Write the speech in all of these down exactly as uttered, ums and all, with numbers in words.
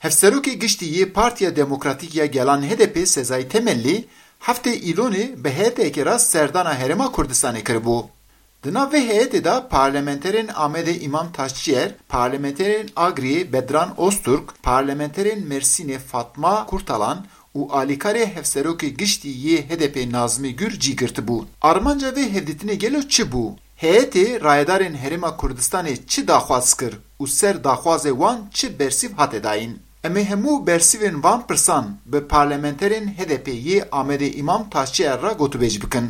Hevserokê Giştî yê Partiya Demokratîk ya Gelan H D P Sezai Temelli heftê Îlonê bi heyeteke re serdana Herêma Kurdistanê kiribû. Di nav vê heyetê de parlamenterên Amedê Îmam Taşçiyer, parlamenterên Agriyê Bedran Ozturk, parlamenterên Mersînê Fatma Kurtalan û alîkarê Hevserokê Giştî yê H D P Nazmî Gür cî girtibû. Armanca vê hevdîtinê gelo çi bû? Heyetê rayedarên Herêma Kurdistanê çi daxwaz kir û ser daxwazê wan çi bersîv hate dayîn? Em ê hemû bersîvên van pirsan bi parlamenterên H D P yê Amedê Îmam Taşçiyer re gotûbêj bikin.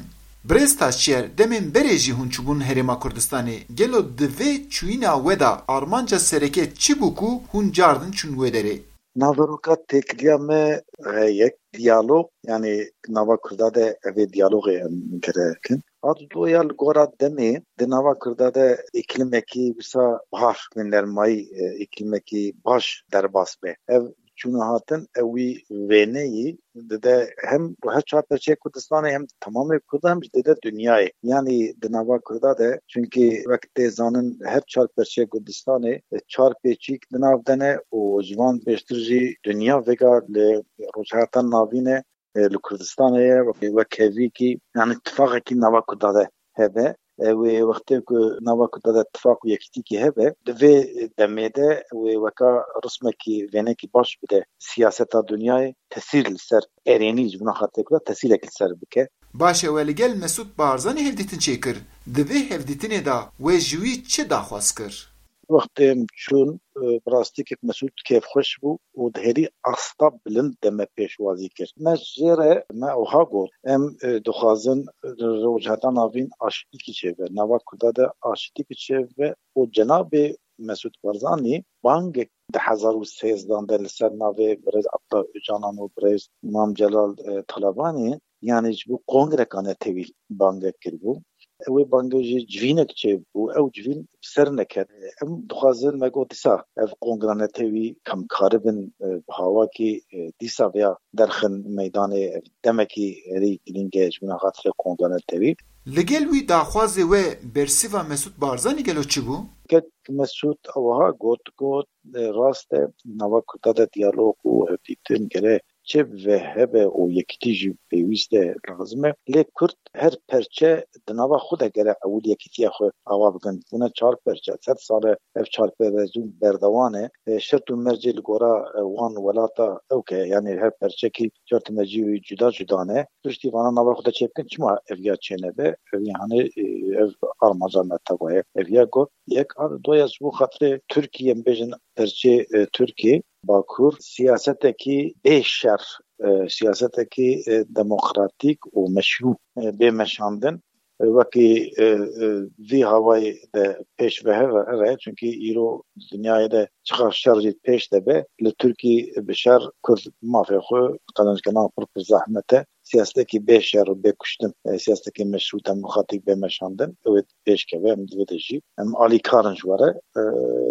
Birêz Taşçiyer, demên berê jî hûn çûbûn Herêma Kurdistanê. Gelo di vê çûyîna we de armanca sereke çi bû ku hûn cardin çûn wê derê? Naveroka têkiliya me heye yek diyalog, yanî nava Kurda de evê diyalogê em gere kin. A dudoya li gora demê di nava Kurda de îklimekî wisa baş, wê nermayî, e, îklimekî baş derbas be. Ev çûna hatin, ew wî wêneyî dide hem her çar perçeyê Kurdistanê hem tamamê Kurdan hem jî dide dinyayê. Yanî di nava Kurda de, çunkî wek tê zanin her çar perçeyê Kurdistanê, e, çar pêçîk di nav de ne û ji van pêştir jî dinya vêga li Rojhilata Navîn e, e, li Kurdistanê ye, wek, wek hevîkî, yanî tifaqekî nava Kurda de hebe. E, wê wextê ku nava Kurda de tifaq û yekîtîkî hebe, di vê demê de wê weka rismekî, wênekî baş bide siyaseta dinyayê, tesîr li ser erênî ji bo xatirê Kurda tesîrek li ser bike. Baş e, we li gel Mesûd Barzanî hevdîtin çêkir. Di vê hevdîtinê de we ji wî çi daxwaz kir? Wextê em çûn, e, bi rastî kek Mesûd kêfxweş bû û di herî asta bilind de me pêşwazî kir. Me jê re, me wiha got, em, e, dixwazin, e, Rojhilata Navîn aştîkî çêbe, nava Kurda de aştîkî çêbe û cenabê Mesûd Barzanî bangek di hezar û sêzdan de li ser navê birêz Abdullah Ocalan û birêz Mam Celal, e, Talabanî, yanî ji bo kongreka netewî bangek kiribû. Wê bangê jî civînek çêbû, ew civîn bi ser neket. Em dixwazin, me got, dîsa ev kongra netewî em karibin, e, bi hawakî, e, dîsa vêya derxin meydanê, ev demekî herî girîng e ji bo xatirê kongra netewî. Li gel wî daxwazê we bersîva Mesûd Barzanî gelo çi bû? Kek Mesûd ew wiha got, got, e, rast e, nava Kurda de diyalog û hevdîtin gere çêbibe, hebe û yekîtî jî pêwîst e, lazim e. Lê Kurd her perçe di nava xwe de gere ewil yekîtiya xwe ava bikin. Bûne çar perçe, sed sal e ev çarperwezî berdewam e. E, şert û mercê li gora, e, wan welata ew ke, yanî her perçekî şert û mercê wî cuda cuda ne. Piştî vana nava xwe de çêbikin, çima ev ya çênebe? Ev ya hanê, e, ev armanca me teva ye. Ev ya got, yek a, doya ji bo xatirê Tirkiyê, em bêjin perçê, e, Tirkiyê, Bakur, siyasetekî bê şer, e, siyasetekî, e, demokratîk û meşrû, e, bê meşandin. E, wekî, e, e, vî hawayê de pêş ve here, here, çunkî îro dinyayê de çiqas şer jî pêş de be, li Tirkî bi şer Kurd mafê xwe qezenc kirin pir pir zehmet e. Siyasetekî bê şer û bê kuştin, e, siyasetekî meşrû demokratîk bê meşandin, ew ê pêş keve, em di vê de jî, em alîkar in ji we re, e,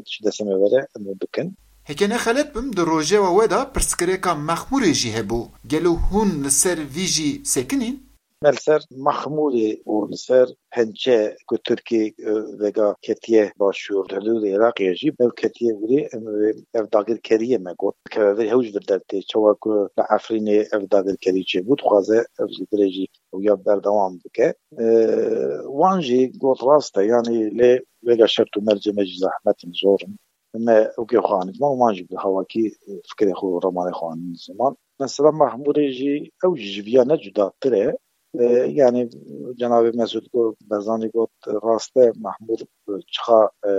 ji destê me were, em ê bikin. Heke ne xelet bim, di rojeva we de pirsgirêka Mexmûrê jî hebû. Gelo hûn li ser vî jî sekinîn? Me li ser Mexmûrê û li ser pençe ku Tirkî, e, vêga ketiye başûr, hudûdê Iraqê jî, ev ketiye virê, em, ev dagirkeriyê me got. Keve vir hew ji vir dertê, çawa ku li Efrînê ev dagirkerî çêbû, dixwaze ev ji virê jî ew ya berdewam bike. E, wan jî got rast e, yanî lê vêga şert û mercê me jî zehmet in, zor in. Me ew kê xwe anî ziman, wan jî bi hawakî, e, fikirê xwe û ramanê xwe anî ziman. Mesela Mahmûrê jî ew jî ji viya ne cudatir e. E, yanî cenabê Mesûd got, Barzanî got, rast e, Mahmûr, e, çiqa, e,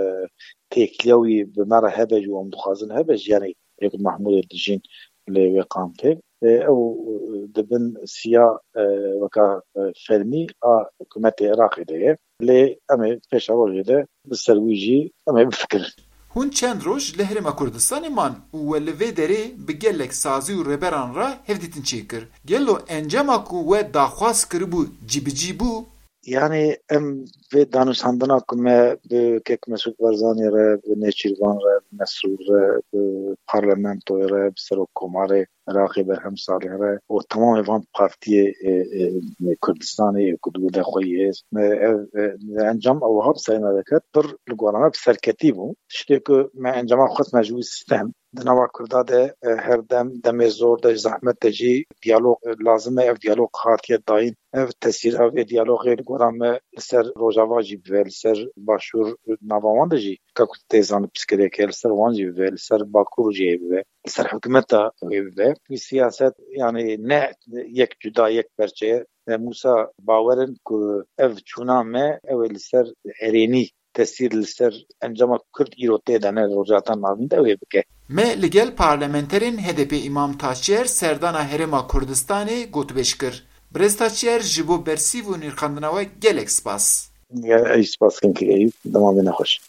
têkiliya wî bi me re hebe jî û em dixwazin hebe jî, yanî yek Mahmûrê dijîn lê wê kampê. E, ew, e, dibin siya, e, weka, e, fermî a hikûmetê Iraqê de ye. Lê em ê pêşerojê de bi ser wî jî em ê bifikirin. Hûn çend roj li Herêma Kurdistanê man û we li vê derê bi gelek sazî û rêberan re hevdîtin çêkir. Gelo encama ku we daxwaz kiribû cîbicî bû? Yanî em vê danûstandina ku me bi kek Mesûd Barzanî re, bi Nêçîrvan re, bi Mesrûr re, bi parlamentoyê re, bi serokkomarê Iraqê Berhem Salih re û temamê van partiyê, e, e, Kurdistanê ku di wir de xwe yê, me ev, e, encam ew wiha bi serê me veket, pir li gora me bi serketî bû. Tiştê ku me encama xwest me ji wî stem, Di nava Kurda de e, her dem demê zor de, zehmet de jî diyalog e, lazim e. Ev diyalog hatiye dayîn. Ev tesîr, ev ê diyalogê li gora me li ser Rojava jî bibe, li ser Başûr, nava wan de jî ka ku tê zanîn pirsgirêk e, li ser wan jî bibe, li ser Bakur jî bibe, li ser hikûmeta wê bibe. Wî siyaset, yanî ne yek cuda, yek perçe ye. Em wisa bawer in ku ev çûna me, ew ê li ser erênî tesîr li ser encama Kurd îro tê de ne Rojhilata Navîn de wê bike. Me li gel parlamenterên H D P Îmam Taçer serdana Herêma Kurdistanê gotûbêj kir. Birêz Taçer, ji bo bersîv û nirxandina we gelek spas. Ya, ez spas kirim Eyûp, dema we nexweş.